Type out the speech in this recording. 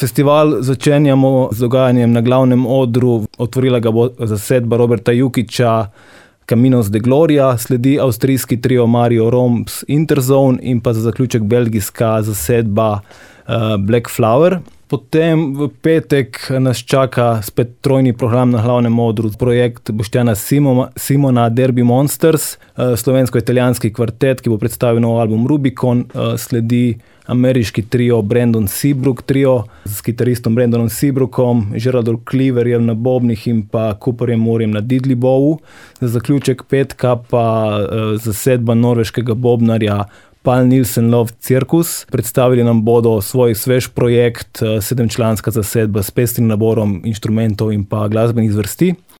Festival začenjamo z dogajanjem na glavnem odru. Otvorila ga bo zasedba Roberta Jukića, Caminos de Gloria, sledi avstrijski trio Mario Roms Interzone in pa za zaključek belgijska zasedba Black Flower. Potem v petek nas čaka spet trojni program na glavnem odru, projekt Boštjana Simona Derby Monsters, slovensko-italijanski kvartet, ki bo predstavil nov album Rubicon, sledi ameriški trio Brandon Seabrook trio s kitaristom Brandonom Seabrookom, Geraldom Cleaverjem na bobnih in pa Cooperjem Moorjem na diddley bowu. Za zaključek petka pa zasedba norveškega bobnarja Pal Nilsen Love Circus. Predstavili nam bodo svoj svež projekt, 7-članska zasedba s pestrim naborom inštrumentov in pa glasbenih zvrsti.